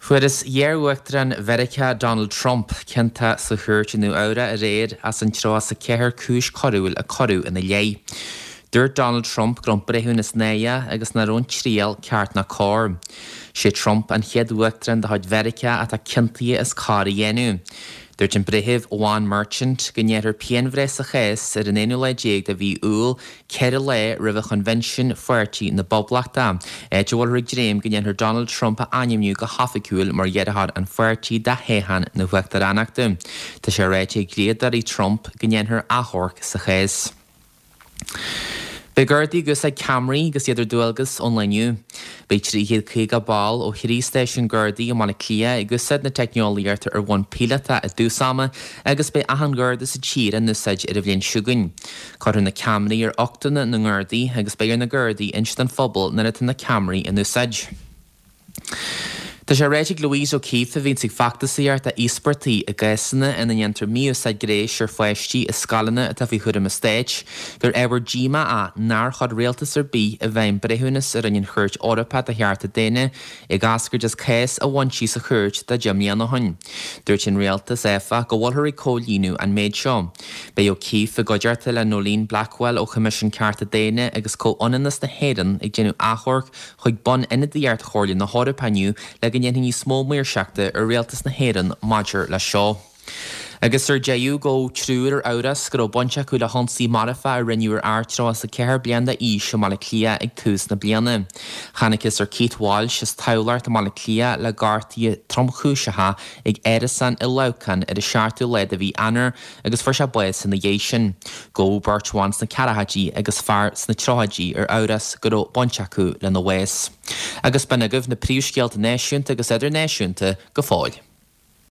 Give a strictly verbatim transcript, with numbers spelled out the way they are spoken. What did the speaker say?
Fuarthas iar-uachtarán Mheiriceá Donald Trump ciontach sa chúirt i Nua-Eabhrac aréir as an tríocha a ceathair cúis choiriúil a cuireadh ina leith. Dúirt Donald Trump go raibh an breithiúnas náireach agus nach raibh an triail ceart ná cóir. Sé Trump an chéad uachtarán de chuid Mheiriceá atá ciontaithe as coir a dhéanamh. Dúirt an breitheamh Juan Merchant go ndéanfar pianbhreith sa chás ar an aonú lá déag de mhí Iúil ceithre lá roimh choinbhinsiún Pháirtí na bPoblachtach, áit a bhfuiltear ag dréim go ndéanfar Donald Trump a ainmniú go hoifigiúil mar iarrthóir an pháirtí do thoghchán na huachtaránachta. Tá sé ráite ag dlíodóirí Trump go ndéanfar achomharc sa chás. Beidh Gardaí ag úsáid ceamaraí agus iad ar dualgas ón lá inniu. Beidh trí chéad caoga ball ó thrí stáisiún Gardaí i mBaile Átha Cliath ag úsáid na teicneolaíochta ar bhonn píolótach i dtús ama agus beidh achan Gharda sa tír á n-úsáid ar an bhliain seo chugainn. Cuirfear na ceamaraí ar uchtanna na nGardaí agus beidh ar na Gardaí inse don phobal nuair atá na ceamaraí in úsáid. Tá sé ráite ag Louise O'Keeffe a bhíonns ag feachtasaíocht d'íospartaigh i gcásanna ina ndéantar mí-úsáid gnéis ar pháistí i scoileanna atá faoi chúram an stáit, gur ábhar díomá é nár chuir rialtas ar bith i bhfeidhm breithiúnas a rinne an Chúirt Eorpach do Chearta Daonna ag eascairt as cás a bhain sí sa chúirt de deich mbliana ó shin. Dúirt an rialtas áfach go bhfuiltear ag comhlíonadh an méid seo. Beidh O'Keeffe i gcuideachta le Noeline Blackwell ó Choimisiún Cearta Daonna agus Comhionannas na hÉireann ag déanamh achomharc chuig Bun-Ionadaíocht Chomhairle na hEorpa inniu le go ndéanfaí níos mó maoirseachta ar rialtas na hÉireann maidir le seo. Agus ar deireadh gabhadh triúr ar amhras go raibh baint acu le hionsaí marfach a rinneadh ar fhear tríocha a ceathair bliain d'aois i mBaile Átha Cliath ag tús na bliana. Chonacthas ar Keith Walsh as Tamhlacht i mBaile Átha Cliath le gortuithe tromchúiseacha ag árasán i Leamhcán ar an seachtú lá de mhí Eanáir agus fuair sé bás ina dhiaidh sin. Gabhadh beirt bhan sna ceathrachaidí agus fear sna tríochaidí ar amhras go raibh baint acu lena bhás. Agus b'in agaibh na príomhscéalta náisiúnta agus idirnáisiúnta go fóill.